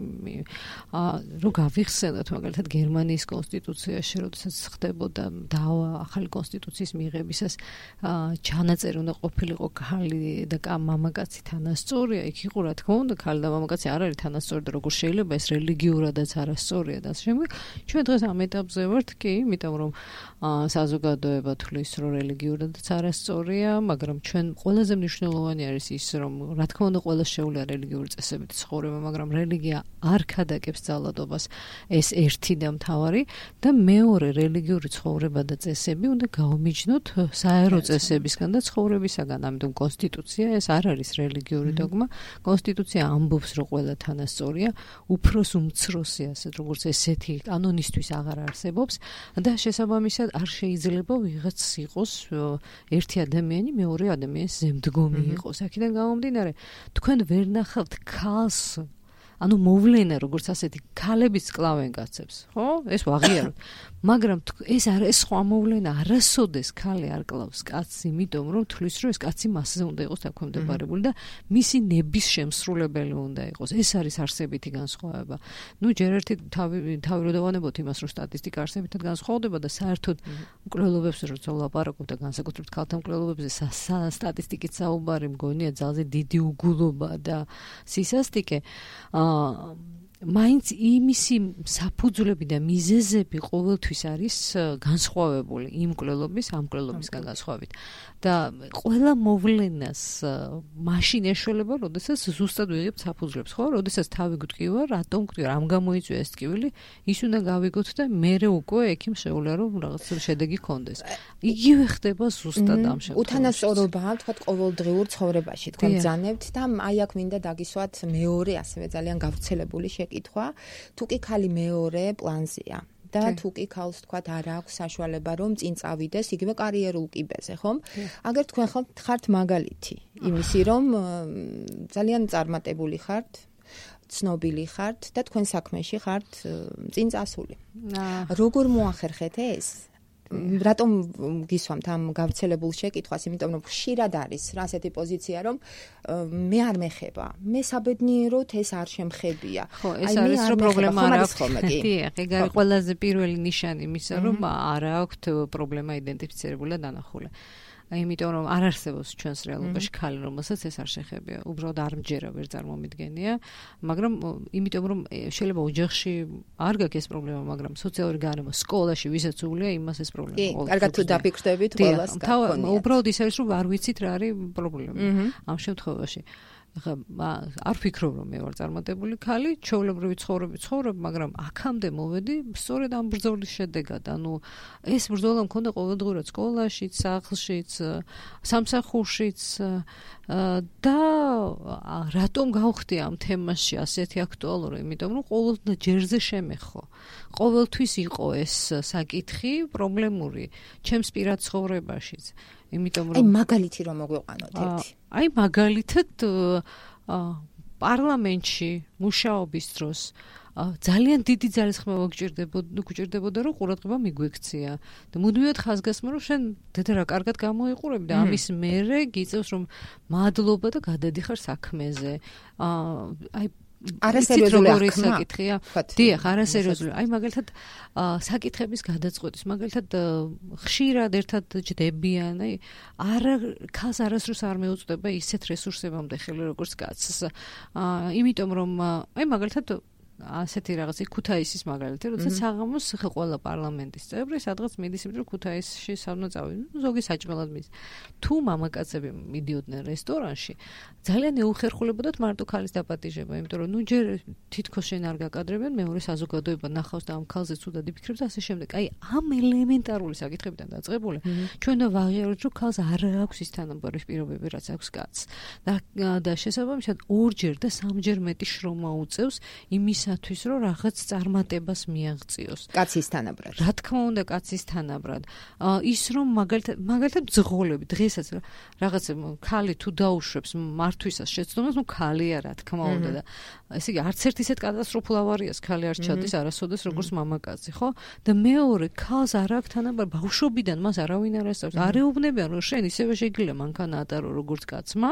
რომ გავიხსენოთ მაგალითად გერმანიის კონსტიტუციაში, როდესაც ხდებოდა დავა ახალი კონსტიტუციის მიღებისას ჩანაწერი უნდა ყოფილიყო ქალი და მამაკაცი თანასწორია, იქ იყო რა თქმა უნდა ქალი და მამაკაცი არ არის თანასწორი და როგორ შეიძლება ეს რელიგიურადაც არასწორია და ასე შემდეგ. ჩვენ დღეს ამ ეტაპზე ვართ კი, იმიტომ რომ საზოგადოება თვლის, რომ რელიგიურადაც არასწორია, მაგრამ ჩვენ ყველაზე მნიშვნელოვანი არის ის, რომ რა თქმა უნდა ყველა შეუძლია რელიგიური წესებით ცხოვრება, მაგრამ რელიგია არ ქადაგებს ძალადობას, ეს ერთი და მთავარი და მეორე რელიგიური ცხოვრება და წესები უნდა გაუმიჯნოთ საერო წესებისგან და ცხოვრებისაგან. ამიტომ კონსტიტუცია ეს არ არის რელიგიური დოგმა. კონსტიტუცია ამბობს, რომ ყველა თანასწორია, უფროს უმცროსი, ასეთ როგორც ესეთი კანონისთვის აღარ არსებობს და შესაბამისად არ შეიძლება ვიღაც იყოს ერთი ადამიანი მეორე ადამიანის ზემდგომი იყოს. აქედან გამომდინარე, თქვენ ვერ ნახავთ ქალს ანუ მოვლენა როგორც ასეთი ქალებიც კლავენ კაცებს, ხო? ეს ვაღიაროთ. მაგრამ ეს არ ეს სხვა მოვლენა არასოდეს ქალი არ კლავს კაცს, იმიტომ რომ თulis რომ ეს კაცი მასზე უნდა იყოს დაქვემდებარებული და მისი ნების შემსრულებელი უნდა იყოს. ეს არის არსებითი განსხვავება. ნუ ჯერ ერთი თავი რო დავანებოთ იმას, რომ სტატისტიკა არსებითად განსხვავდება და საერთოდ მკვლელობებს როცა ვლაპარაკობ და განსაკუთრებით ქალთა მკვლელობებზე სტატისტიკით საუბარი მგონია ძალზე დიდი უგულობა და სისასტიკე. მაინც იმისი საფუძვლები და მიზეზები ყოველთვის არის განსხვავებული იმ მკვლელობის ამ მკვლელობისგან განსხვავებით და ყველა მოვლენას მაშინ ეშველება, როდესაც ზუსტად ვიღებთ საფუძვლებს, ხო? როდესაც თავი გვტკივა, რატომ გვტკივა, რამ გამოიწვია ეს ტკივილი, ის უნდა გავიგოთ და მერე უკვე ექიმ შეუძლია რომ რაღაც შედეგი გქონდეს. იგივე ხდება ზუსტად ამ შემთხვევაში. უთანასწორობაა, თქვა ყოველდღიურ ცხოვრებაში, თქვა ბრძანებთ და აი აქ მინდა დაგისვათ მეორე ასევე ძალიან გავრცელებული შეკითხვა, თუ კი ქალი მეორე პლანზეა. და თუ კი ქალს თქვათ არ აქვს საშუალება რომ წინ წავიდეს იგივე კარიერულ კიბეზე, ხომ? აგერ თქვენ ხართ მაგალითი იმისი რომ ძალიან წარმატებული ხართ ცნობილი ხართ და თქვენ საქმეში ხართ წინ წასული. როგორ მოახერხეთ ეს? რატომ გისვამთ ამ გავრცელებულ შეკითხვას, იმიტომ რომ ხშირად არის რა ასეთი პოზიცია, რომ მე არ მეხება, მე საბედნიეროდ ეს არ შემხებია. ხო, ეს არის რომ პრობლემა არ აქვს. დიახ, ეგ არის ყველაზე პირველი ნიშანი იმისა, რომ არ აქვს პრობლემა იდენტიფიცირებული და დანახული. იმიტომ რომ არ არსებობს ჩვენს რეალობაში ქალი, რომელსაც ეს არ შეხებია. უბრალოდ არ მჯერა, ვერ წარმომიდგენია, მაგრამ იმიტომ რომ შეიძლება ოჯახში არ გაქვს ეს პრობლემა, მაგრამ სოციალური გარემო, სკოლაში ვისაც უულია, იმას ეს პრობლემა. კი, კარგად თუ დაფიქრდებით, ყველას გქონია. უბრალოდ ის არის, რომ არ ვიცით რა არის პრობლემა ამ შემთხვევაში. არ ვფიქრობ რომ მე ვარ წარმატებული ქალი, ჩვეულებრივი ცხოვრობ, მაგრამ აქამდე მოვედი სწორედ ამ ბრძოლის შედეგად. ანუ ეს ბრძოლა მქონდა ყოველდღურად სკოლაშიც, სახლშიც, სამსახურშიც და რატომ გავხდი ამ თემაში ასეთი აქტუალური? იმიტომ რომ ყოველ ჯერზე შემეხო. ყოველთვის იყო ეს საკითხი პრობლემური ჩემს პირად ცხოვრებაშიც. იმიტომ რომ მაგალითი რომ მოგვიყვანოთ ერთი. მაგალითად პარლამენტში მუშაობის დროს ძალიან დიდი ძალისხმევა გჭირდებოდა რომ ყურადღება მიგვექცია და მუდმივად ხაზგასმა რომ შენ დედა რა კარგად გამოიყურები და ამის მერე გიწევს რომ მადლობა და გადადიხარ საქმეზე. არასერიოზული საკითხია. დიახ, არასერიოზული. მაგალითად საკითხების გადაწყვეტის, მაგალითად ხშირად ერთად ჯდებიან, ქალს არასდროს არ მეუწვდება ისეთ რესურსებამდე ხელი როგორც კაცს. იმიტომ რომ მაგალითად ასეთი რაღაცა ქუთაისის მაგალითი, როდესაც საღამოს ყველა პარლამენტის წევრი სადღაც მიდის, იმიტომ რომ ქუთაისში სამ წავიდნენ, ზოგი საჭმელად მიდის. თუ მამაკაცები მიდიოდნენ რესტორანში, ძალიან ეუხერხულებოდათ მარტო ქალის დაპატიჟება, იმიტომ რომ ჯერ თითქოს შენ არ გაკადრებენ, მეორე საზოგადოება ნახავს და ამ ქალზე ცუდად იფიქრებს და ასე შემდეგ. ამ ელემენტარული საკითხებიდან დაწყებული, ჩვენ და ვაღიაროთ, რომ ქალს არ აქვს ის თანაბარი პირობები, რაც აქვს კაცს. და შესაბამისად ორჯერ და სამჯერ მეტი შრომა უწევს იმისათვის, რომ რაღაც წარმატებას მიაღწიოს. კაცის თანაბრად. რა თქმა უნდა, კაცის თანაბრად. ის რომ მაგალითად ბრძოლები დღესაც რაღაც ქალი თუ დაუშვებს მართვისას შეცდომას, ქალია რა თქმა უნდა და ესე იგი არც ერთ ისეთ კატასტროფულ ავარიას ქალი არ ჩადის არასოდეს როგორც მამაკაცი, ხო? და მეორე ქალს არ აქვს თანაბარი, ბავშვობიდან მას არავინ არ ასწავლის. არ ეუბნებიან რომ შენ ისევე შეგიძლია მანქანა ატარო როგორც კაცმა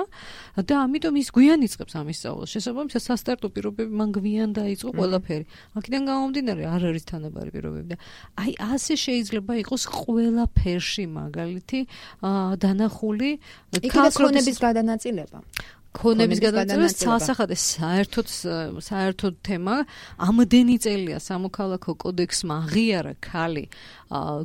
და ამიტომ ის გვიან იწყებს ამის სწავლას. შესაბამისად სასტარტო პირობები მან გვიან დაიწყო ყველაფერი. აქედან გამომდინარე არ არის თანაბარი პირობები და ასე შეიძლება იყოს ყველაფერში მაგალითი დანახული ქალს ქონების გადანაწილება. ქონების გადაწყვეტა სასახადე საერთოდ თემა ამდენი წელია სამოქალაქო კოდექსმა აღიარა ქალი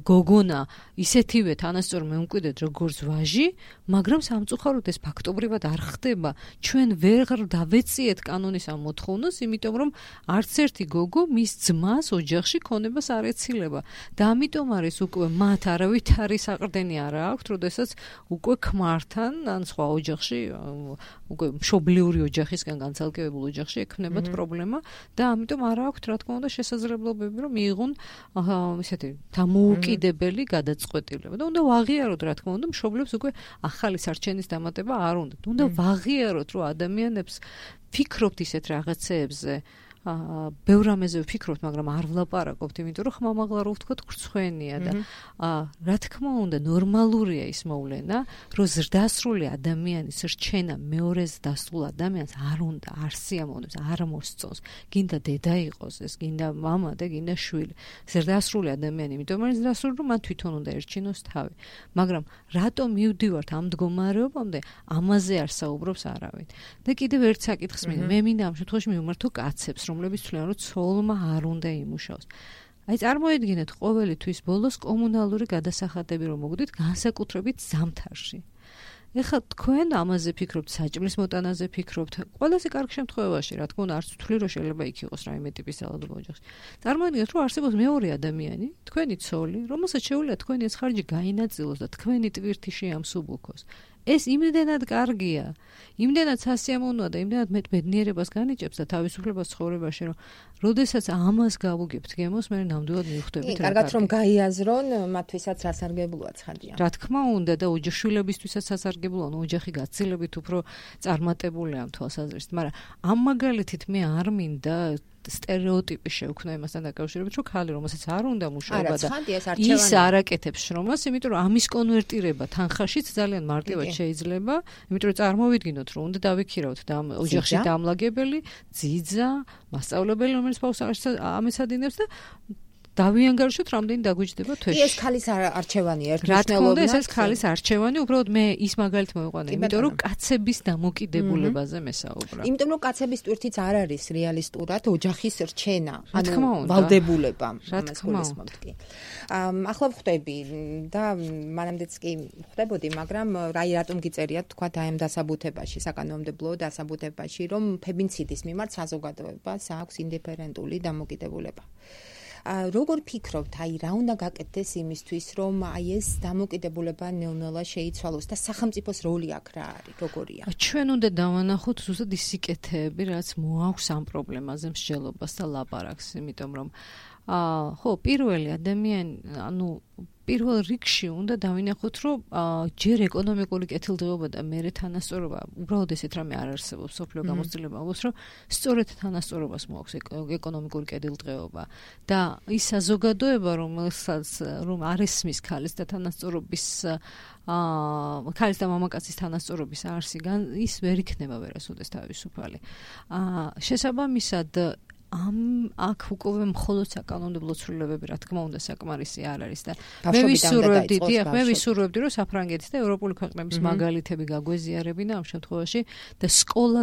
გოგონა ისეთივე თანასწორ მემკვიდრედ როგორც ვაჟი, მაგრამ სამწუხაროდ ეს ფაქტობრივად არ ხდება. ჩვენ ვერ დავეციეთ კანონის ამ მოთხოვნას, იმიტომ რომ არც ერთი გოგო მის ძმას ოჯახში ქონებას არ ეცილება და ამიტომ არის უკვე მათ არავითარი საყრდენი არ აქვს, როდესაც უკვე ქმართან ან სხვა ოჯახში უკვე მშობლიური ოჯახისგან განცალკევებულ ოჯახში ექნებათ პრობლემა და ამიტომ არ აქვს რა თქმა უნდა შესაძლებლობები რომ მიიღონ ისეთი დამოუკიდებელი გადაწყვეტილება და უნდა ვაღიაროთ რა თქმა უნდა მშობლებს უკვე ახალი სარჩენის დამატება არ უნდათ. უნდა ვაღიაროთ რომ ადამიანებს ფიქრობთ ისეთ რაღაცეებზე ბევრ რამეზე ვფიქრობთ, მაგრამ არ ვლაპარაკობთ, იმიტომ რომ ხმამაღლა რო ვთქვათ, ხრცხვენია და რა თქმა უნდა, ნორმალურია ის მოვლენა, რომ ზრდასრული ადამიანის რჩენა მეორეს დასრულ ადამიანს არ უნდა, არ სიამოვნებს, არ მოსწონს. გინდა დედა იყოს ეს, გინდა მამა და გინდა შვილი. ზრდასრული ადამიანი, იმიტომ რომ ზრდასრული რომ მან თვითონ უნდა ერჩინოს თავი. მაგრამ რატომ მივდივართ ამ მდგომარეობამდე, ამაზე არ საუბრობს არავინ. და კიდევ ერთ საკითხს მე მინდა ამ შემთხვევაში მივმართო კაცებს, რომლებიც თვლიან, რომ ცოლმა არ უნდა იმუშაოს. წარმოედგინეთ ყოველი თვის ბოლოს კომუნალური გადასახადები რომ მოგდით განსაკუთრებით ზამთარში. ეხლა თქვენ ამაზე ფიქრობთ, საჭმლის მოტანაზე ფიქრობთ, ყველაზე კარგ შემთხვევაში, რა თქმა უნდა, არც ვთვლი რომ შეიძლება იქ იყოს რაიმე ტიპის ძალადობა ოჯახში. წარმოედგინეთ, რომ არსებობს მეორე ადამიანი, თქვენი ცოლი, რომელსაც შეუძლია თქვენი ეს ხარჯი გაინაწილოს და თქვენი ტვირთი შეამსუბუქოს. ეს იმდენად კარგია, იმდენად სასიამოვნოა და იმდენად მეტ ბედნიერებას განიჭებს და თავისუფლებას ცხოვრებაში, რომ როდესაც ამას გავუგებთ გემოს, მე ნამდვილად მივხვდებით რა. კარგად რომ გაიაზრონ, მათთვისაც სასარგებლოა ცხადია. რა თქმა უნდა და ოჯახშვილებისთვისაც სასარგებლოა, ოჯახი გაცილებით უფრო წარმატებულია ამ თვალსაზრისით, მაგრამ ამ მაგალითით მე არ მინდა სტერეოტიპი შევქმნა იმასთან დაკავშირებით, რომ ხალი რომელსაც არ უნდა მუშაობა და ის არ აკეთებს შრომას, იმიტომ რომ ამის კონვერტირება თანხაშიც ძალიან მარტივად შეიძლება, იმიტომ რომ წარმოვიდგინოთ, რომ უნდა დავიქირავთ და ოჯახში დამლაგებელი, ძიძა, მასწავლებელი, რომელიც ბავშვს ამეცადინებს და დავიანგარიშოთ რამდენი დაგვიჯდება თვეში. ეს ხალის არჩევანია ერთმანეთს. რა თქმა უნდა, ეს ხალის არჩევანი, უბრალოდ მე ის მაგალითს მოვიყვანე, იმიტომ რომ კაცების დამოკიდებულებაზე მესაუბრა. იმიტომ რომ კაცების ტვირთიც არ არის რეალისტურად ოჯახის რჩენა, ანუ ვალდებულება, ამას გულისხმობთ კი. ახლა ვხვდები და მანამდეც კი ვხვდებოდი, მაგრამ რატომ გიწერიათ თქვა აი ამ დასაბუთებაში, საკანონმდებლო დასაბუთებაში, რომ ფებინციდის მიმართ საზოგადოებას აქვს ინდიფერენტული დამოკიდებულება. როგორ ფიქრობთ, აი რა უნდა გაკეთდეს იმისთვის, რომ აი ეს დამოკიდებულება ნელ-ნელა შეიცვალოს და სახელმწიფოს როლი აქ რა არის, როგორია? ჩვენ უნდა დავანახოთ ზუსტად ის სიკეთეები, რაც მოაქვს ამ პრობლემაზე მსჯელობას და ლაპარაკს, იმიტომ რომ ხო, პირველი ადამიანი, ანუ პირველ რიგში უნდა დავინახოთ, რომ ჯერ ეკონომიკური კეთილდღეობა და მერე თანასწორობა, უბრალოდ ესეთ რამე არ არსებობს, სოფლიო გამოცდილება ამბობს, რომ სწორედ თანასწორობას მოაქვს ეკონომიკური კეთილდღეობა და ის საზოგადოება, რომ არ ესმის ქალის და თანასწორობის ქალის და მამაკაცის თანასწორობის არსი, ის ვერ იქნება ვერასოდეს თავისუფალი. შესაბამისად აქ უკვე მხოლოდ საკანონმდებლო ცვლილებები, რა თქმა უნდა, საკმარისი არ არის და მე ვისურვებდი, რომ საფრანგეთის და ევროპული ქვეყნების მაგალითები გაგვეზიარებინა ამ შემთხვევაში და სკოლა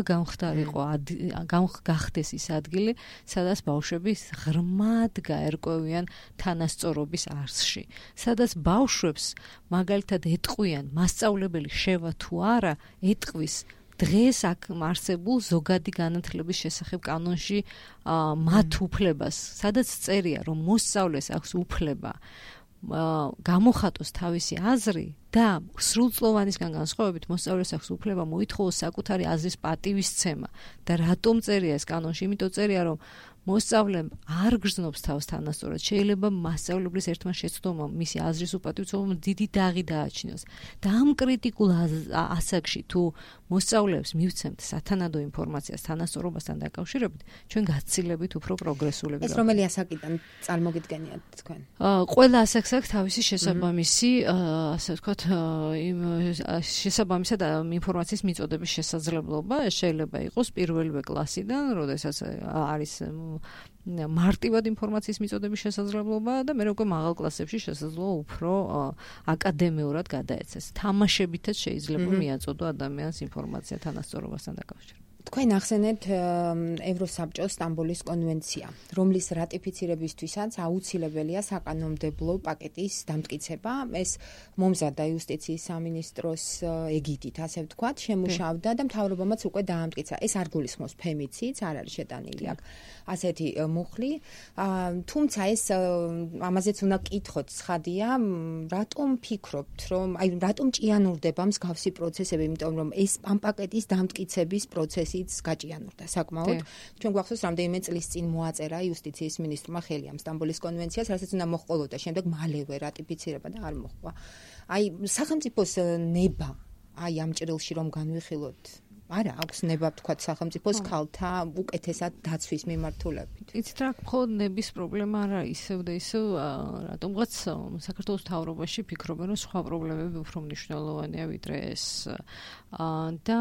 გახდეს ის ადგილი, სადაც ბავშვები ღრმად გაერკვევიან თანასწორობის არსში, სადაც ბავშვებს მაგალითად ეტყვიან, მასწავლებელი შევა თუ არა, ეტყვის დღეს აქ არსებულ ზოგადი განათლების შესახებ კანონში მათ უფლებას, სადაც წერია, რომ მოსწავლეს აქვს უფლება გამოხატოს თავისი აზრი და სრულწლოვანისგან განსხვავებით მოსწავლეს აქვს უფლება მოითხოვოს საკუთარი აზრის პატივისცემა და რატომ წერია ეს კანონში? იმიტომ წერია, რომ მოსწავლემ არ გრძნობს თავს თანასწორად. შეიძლება მასწავლებლის ერთმა შეცდომამ მისი აზრის უპატივცემობამ დიდი დაღი დააჩინოს. და ამ კრიტიკულ ასაკში თუ მოსწავლეებს მივცემთ სათანადო ინფორმაციას თანასწორობასთან დაკავშირებით, ჩვენ გაცილებით უფრო პროგრესულები ეს რომელი ასაკიდან წარმოგიდგენიათ თქვენ? ყველა ასაკს აქვს თავისი შესაბამისი, ასე ვთქვათ, შესაბამისად ინფორმაციის მიწოდების შესაძლებლობა. ეს შეიძლება იყოს პირველივე კლასიდან, როდესაც არის მარტივად ინფორმაციის მიწოდების შესაძლებლობა და მე უკვე მაღალ კლასებში შესაძლოა უფრო აკადემიურად გადაეცეს. თამაშებითაც შეიძლება მიაწოდო ადამიანს ინფორმაცია თანასწორობასთან დაკავშირებით. თქვენ ახსენეთ ევროსაბჭოს სტამბოლის კონვენცია, რომლის რატიფიცირებისთვისაც აუცილებელია საკანონმდებლო პაკეტის დამტკიცება. ეს მომზადდა იუსტიციის სამინისტროს ეგიდით, ასე ვთქვათ, შემუშავდა და მთავრობამაც უკვე დაამტკიცა. ეს არ გულისხმობს ფემიციდს, არ არის შეტანილი აქ ასეთი მუხლი. თუმცა ეს ამაზეც უნდა კითხოთ, ცხადია, რატომ ფიქრობთ, რომ აი რატომ ჭიანურდება მსგავსი პროცესები, იმიტომ რომ ეს ამ პაკეტის დამტკიცების პროცესი გაჭიანურდა საკმაოდ. ჩვენ გვახსოვს, რამდენიმე წლის წინ მოაწერა იუსტიციის მინისტრმა ხელი ამ სტამბოლის კონვენციას, რასაც უნდა მოჰყოლოდა შემდეგ მალევე რატიფიცირება და არ მოჰყვა. აი სახელმწიფოს ნება აი ამ ჭრილში რომ განვიხილოთ. არა, აქვს ნება ვთქვათ სახელმწიფოს ქალთა უკეთესად დაცვის მიმართულებით. იცით რა, მხოლოდ ნების პრობლემა არა, ისევ და ისევ რატომღაც საქართველოს მთავრობაში ფიქრობენ, რომ სხვა პრობლემები უფრო მნიშვნელოვანია ვიდრე ეს. და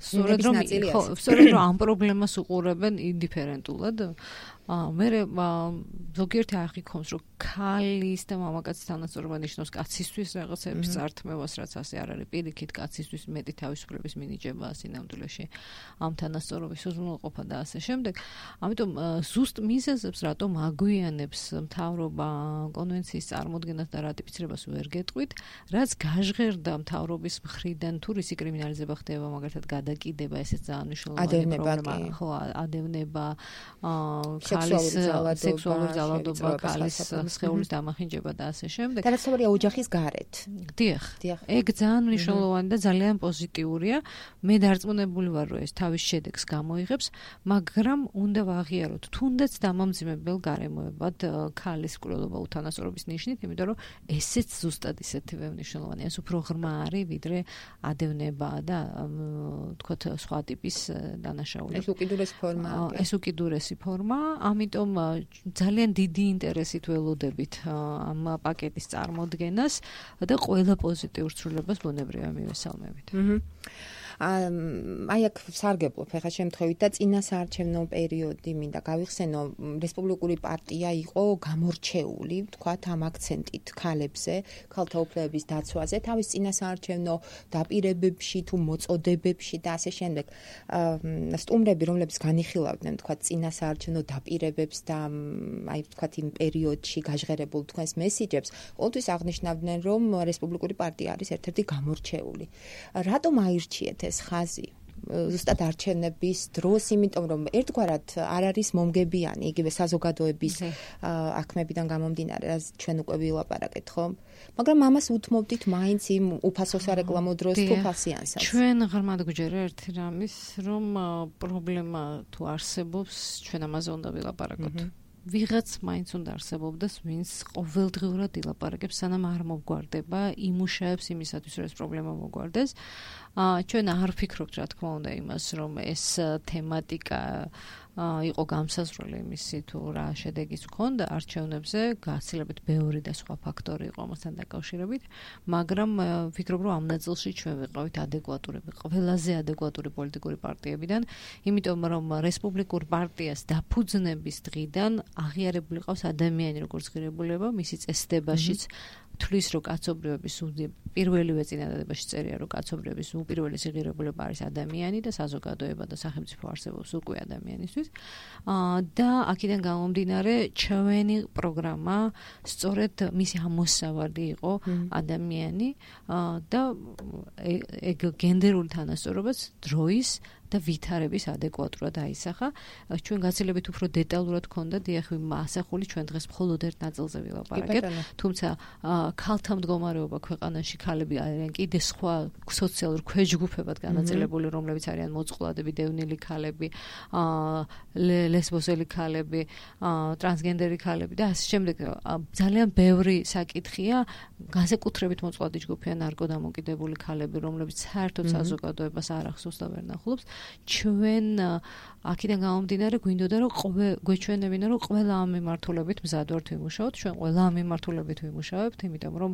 სწორედ რომ ამ პრობლემას უყურებენ ინდიფერენტულად. მე ზოგიერთი აღიქონს, რომ ქალის და მამაკაცის თანასწორობა ნიშნავს კაცისთვის რაღაცების წართმევას, რაც ასე არ არის. პირიქით კაცისთვის მეტი თავისუფლების მინიჭება გასარჯება სინამდვილეში ამ თანასწორობის უზრუნველყოფა და ასე შემდეგ. ამიტომ ზუსტ მიზეზებს რატომ აგვიანებს მთავრობა კონვენციის წარმოდგენას და რატიფიცირებას ვერ გეტყვით, რაც გაჟღერდა მთავრობის მხრიდან თუ რისი კრიმინალიზება ხდება, მაგალითად გადაკიდება, ესეც ძალიან მნიშვნელოვანი პრობლემა, ხო, ადევნება, ქალის სექსუალური ძალადობა, ქალის სხეულის დამახინჯება და ასე შემდეგ. და რაც თავია ოჯახის გარეთ. დიახ. ეგ ძალიან მნიშვნელოვანი და ძალიან პოზიტიურია. მე დარწმუნებული ვარ, რომ ეს თავის შედეგს გამოიღებს, მაგრამ უნდა ვაღიაროთ თუნდაც დამამძიმებელ გარემოებად ქალის მკვლელობა უთანასწორობის ნიშნით, იმიტომ რომ ესეც ზუსტად ისეთივე მნიშვნელოვანია. ეს უფრო ღრმა არის, ვიდრე ადევნება და თქოთ სხვა ტიპის დანაშაულები. ეს უკიდურესი ფორმაა. ეს უკიდურესი ფორმა, ამიტომ ძალიან დიდი ინტერესით ველოდებით ამ პაკეტის წარმოდგენას და ყველა პოზიტიურ ცვლილებას ბუნებრივია მივესალმებით. აი აქ სარგებლობ ხა შემთხვევით და წინასაარჩევნო პერიოდი მინდა გავიხსენო, რესპუბლიკური პარტია იყო გამორჩეული, თქვათ ამ აქცენტით ქალებზე, ქალთა უფლებების დაცვაზე, თავის წინასაარჩევნო დაპირებებში თუ მოწოდებებში და ასე შემდეგ. სტუმრები, რომლებიც განიხილავდნენ, თქვათ წინასაარჩევნო დაპირებებს და აი თქვათ იმ პერიოდში გაჟღერებულ თქვენს მესიჯებს, ყოველთვის აღნიშნავდნენ, რომ რესპუბლიკური პარტია არის ერთ-ერთი გამორჩეული. რატომ აირჩიეთ ეს ხაზი ზუსტად არჩევნების დროს, იმიტომ რომ ერთგვარად არ არის მომგებიანი იგივე საზოგადოების აქმებიდან გამომდინარე, რაც ჩვენ უკვე ვილაპარაკეთ, ხო? მაგრამ ამას უთმობდით მაინც იმ უფასო სარეკლამო დროს თუ ფასიანსაც. ჩვენ ღრმად გვჯერა ერთი რამის, რომ პრობლემა თუ არსებობს, ჩვენ ამაზე უნდა ვილაპარაკოთ. ვიღაც მაინც უნდა არსებობდეს, ვინც ყოველდღიურად ილაპარაკებს, სანამ არ მოგვარდება, იმუშაებს იმისათვის, რომ ეს პრობლემა მოგვარდეს. ჩვენ არ ვფიქრობთ, რა თქმა უნდა, იმას, რომ ეს თემატიკა იყო გამსაზღვრელი იმისი თუ რა შედეგიც ჰქონდა არჩევნებზე, გაცილებით ბევრი და სხვა ფაქტორი იყო ამასთან დაკავშირებით, მაგრამ ვფიქრობ, რომ ამ ნაწილში ჩვენ ვიყავით ადეკვატურები, ყველაზე ადეკვატური პოლიტიკური პარტიებიდან, იმიტომ რომ რესპუბლიკურ პარტიას დაფუძნების დღიდან აღიარებული ყავს ადამიანი როგორც ღირებულება, მისი წესდებაშიც თulis რომ კაცობრიობის პირველივე წინადადებაში წერია, რომ კაცობრიობის უპირველესი ღირებულება არის ადამიანი და საზოგადოება და სახელმწიფო არსებობს უკვე ადამიანისთვის. და აქედან გამომდინარე, ჩვენი პროგრამა სწორედ მისი ამოსავალი იყო ადამიანი და ეგ გენდერული თანასწორობაც დროის და ვითარების ადეკვატურად აისახა. ჩვენ გაცილებით უფრო დეტალურად გქონდა დიახ ასახული, ჩვენ დღეს მხოლოდ ერთ ნაწილზე ვილაპარაკეთ, თუმცა ქალთა მდგომარეობა ქვეყანაში, ქალები არიან კიდე სხვა სოციალურ ქვეჯგუფებად განაწილებული, რომლებიც არიან მოწყვლადები, დევნილი ქალები, ლესბოსელი ქალები, ტრანსგენდერი ქალები და ასე შემდეგ. ძალიან ბევრი საკითხია, განსაკუთრებით მოწყვლადი ჯგუფია ნარკოდამოკიდებული ქალები, რომლებიც საერთოდ საზოგადოებას არ ახსოვს და ვერ ნახულობს. ჩვენ აქედან გამომდინარე გვინდოდა რომ გვეჩვენებინა რომ ყველა ამ მიმართულებით მზად ვართ ვიმუშაოთ, ჩვენ ყველა ამ მიმართულებით ვიმუშავებთ, იმიტომ რომ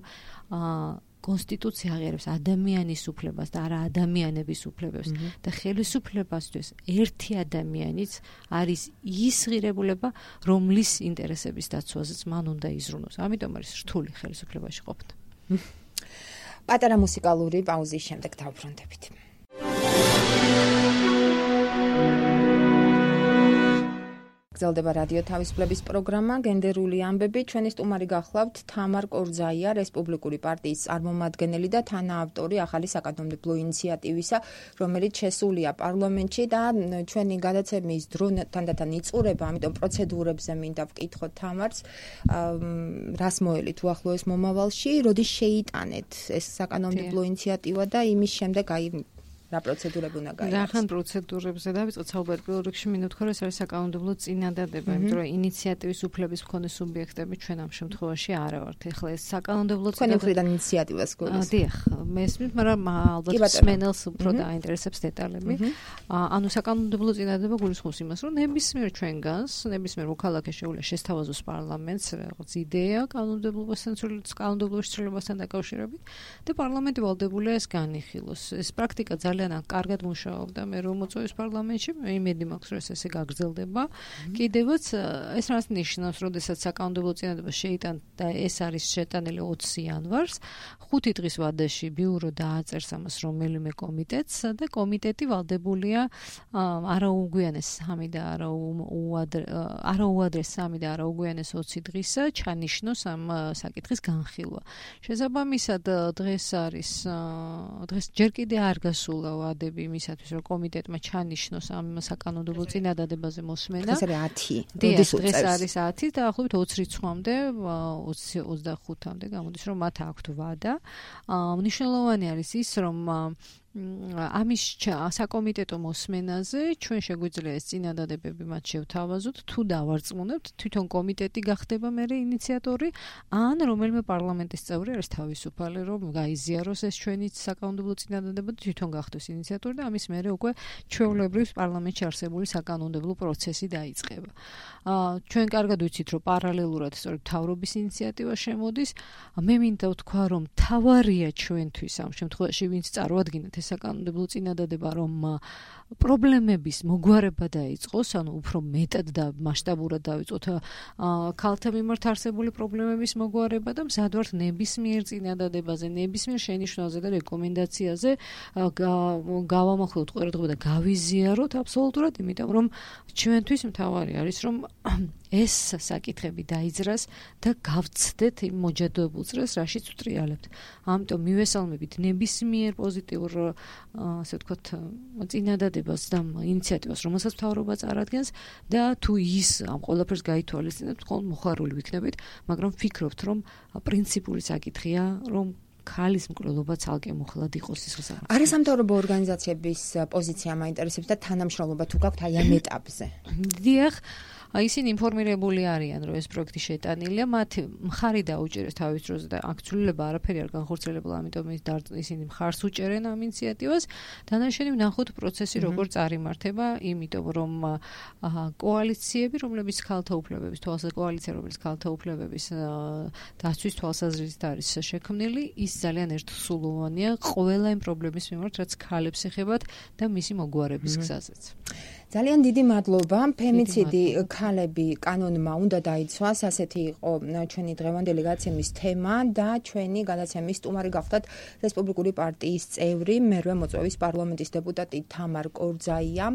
კონსტიტუცია აღიარებს ადამიანის უფლებას და არა ადამიანების უფლებებს და ხელისუფლებასთვის ერთი ადამიანიც არის ის ღირებულება, რომლის ინტერესების დაცვაზეც მან უნდა იზრუნოს. ამიტომ არის რთული ხელისუფლებაში ყოფნა. პატარა მუსიკალური პაუზის შემდეგ დავბრუნდებით. გრძელდება რადიო თავისუფლების პროგრამა გენდერული ამბები. ჩვენი სტუმარი გახლავთ თამარ კორძაია, რესპუბლიკური პარტიის წარმომადგენელი და თანაავტორი ახალი საკანონმდებლო ინიციატივისა, რომელიც შესულია პარლამენტში და ჩვენი გადაცემის დრო თანდათან იწურება, ამიტომ პროცედურებზე მინდა ვკითხოთ თამარს, რას მოელით უახლოეს მომავალში, როდის შეიტანეთ ეს საკანონმდებლო ინიციატივა და იმის შემდეგ აი რა პროცედურები უნდა გაიაროს? რახან პროცედურებზე დავიწყოთ საუბარი. პირველ რიგში მინდა ვთქვა, რომ ეს არის საკანონმდებლო წინადადება, იმიტომ რომ ინიციატივის უფლების მქონე სუბიექტები ჩვენ ამ შემთხვევაში არ ვართ. ეხლა ეს საკანონმდებლო წინადადებიდან ინიციატივას გულისხმობთ. დიახ, მესმით, მაგრამ ალბათ მსმენელს უფრო დაინტერესებს დეტალები. ანუ საკანონმდებლო წინადადება გულისხმობს იმას, რომ ნებისმიერ ჩვენგანს, ნებისმიერ მოქალაქე შეუძლია შესთავაზოს პარლამენტს რაღაც იდეა კანონმდებლობასთან დაკავშირებით და პარლამენტი ვალდებულია ეს განიხილოს. ეს პრაქტიკა ძალიან წლიდან კარგად მუშაობდა მე რომ მოწვევის პარლამენტში, იმედი მაქვს რომ ესე გაგრძელდება. კიდევაც ეს რას ნიშნავს, როდესაც საკანონმდებლო წინადადება შეიტანდა და ეს არის შეტანილი 20 იანვარს, 5 დღის ვადაში ბიურო დააწერს ამას რომელიმე კომიტეტს და კომიტეტი ვალდებულია არაუგვიანეს 3 და არაუადრეს 3 და არაუგვიანეს 20 დღის ჩანიშნოს ამ საკითხის განხილვა. შესაბამისად დღეს ჯერ კიდე არ გასულა ვადები იმისათვის რომ კომიტეტმა ჩანიშნოს ამ საკანონმდებლო წინადადებაზე მოსმენა. ეს არის 10. დღეს არის 10 და ახლობით 20 რიცხვამდე 25-მდე გამოდის რომ მათ აქვთ ვადა. მნიშვნელოვანი არის ის რომ ამის საკომიტეტო მოსმენაზე ჩვენ შეგვიძლია ეს წინადადებები მათ შევთავაზოთ თუ დავარწმუნებთ თვითონ კომიტეტი გახდება მერე ინიციატორი ან რომელიმე პარლამენტის წევრი არის თავისუფალი რომ გაიზიაროს ეს ჩვენი საკანონმდებლო წინადადება და თვითონ გახდეს ინიციატორი და ამის მერე უკვე ჩვეულებრივ პარლამენტში არსებული საკანონმდებლო პროცესი დაიწყება. ჩვენ კარგად ვიცით რომ პარალელურად სწორედ მთავრობის ინიციატივა შემოდის. მე მინდა ვთქვა რომ თავარია ჩვენთვის ამ შემთხვევაში ვინც წარმოადგენთ საკანონმდებლო წინადადება რომ პრობლემების მოგვარება დაიწყოს, ანუ უფრო მეტად და მასშტაბურად დავიწყოთ ქალთა მიმართ არსებული პრობლემების მოგვარება და მზად ვართ ნებისმიერ წინადადებაზე, ნებისმიერ შენიშვნაზე და რეკომენდაციაზე გავამახვილოთ ყურადღება და გავიზიაროთ აბსოლუტურად, იმიტომ რომ ჩვენთვის მთავარი არის რომ ეს საკითხები დაიძრას და გავცდეთ იმ მოჯადოებულ წრეს, რაშიც ვტრიალებთ. ამიტომ მივესალმებით ნებისმიერ პოზიტიურ ასე ვთქვათ წინადადებას და ინიციატივას, რომელსაც მთავრობა წარადგენს და თუ ის ამ ყველაფერს გაითვალისწინებთ, ხოლმე მოხარული ვიქნებით, მაგრამ ვფიქრობთ, რომ პრინციპული საკითხია, რომ ქალის მკვლელობა ცალკე მუხლად იყოს ის საკითხი. არასამთავრობო ორგანიზაციების პოზიცია მაინტერესებს და თანამშრომლობა თუ გაქვთ აი ამ ეტაპზე. დიახ, ისინი ინფორმირებული არიან, რომ ეს პროექტი შეტანილია, მათ მხარი დაუჭერეს თავის დროზე და აქ ცვლილება არაფერი არ განხორციელებულა, ამიტომ ისინი მხარს უჭერენ ამ ინიციატივას. დანარჩენი ვნახოთ პროცესი როგორ წარიმართება, იმიტომ რომ კოალიციები, რომლებიც ქალთა უფლებების დაცვის თვალსაზრისით არის შექმნილი, ის ძალიან ერთსულოვანია ყველა იმ პრობლემის მიმართ, რაც ქალებს ეხებათ და მისი მოგვარების გზაზეც. ძალიან დიდი მადლობა. ფემიციდი ქალები კანონმა უნდა დაიცვას. ასეთი იყო ჩვენი დღევანდელი გადაცემის თემა და ჩვენი გადაცემის სტუმარი გახდათ რესპუბლიკური პარტიის წევრი, მერვე მოწვევის პარლამენტის დეპუტატი თამარ კორძაია.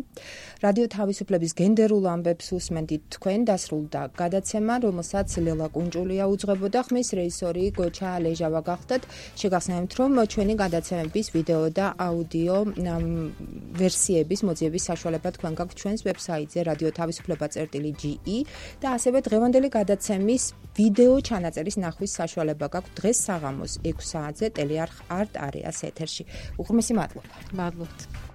რადიო თავისუფლების გენდერულ ამბებს უსმენთ თქვენ. დასრულდა გადაცემა, რომელსაც ლელა კუნჭულია უძღვებოდა. ხმის რეჟისორი გოჩა ლეჟავა გახდათ. შეგახსენებთ, რომ ჩვენი გადაცემების ვიდეო და აუდიო ვერსიების მოძიების საშუალება თქვენ გაქვთ ჩვენს ვებსაიტზე radiotavisufleba.ge და ასევე დღევანდელი გადაცემის ვიდეო ჩანაწერის ნახვის საშუალება გაქვთ დღეს საღამოს 6 საათზე ტელეარხ არტ არეას ეთერში. უღრმესი მადლობა. მადლობთ.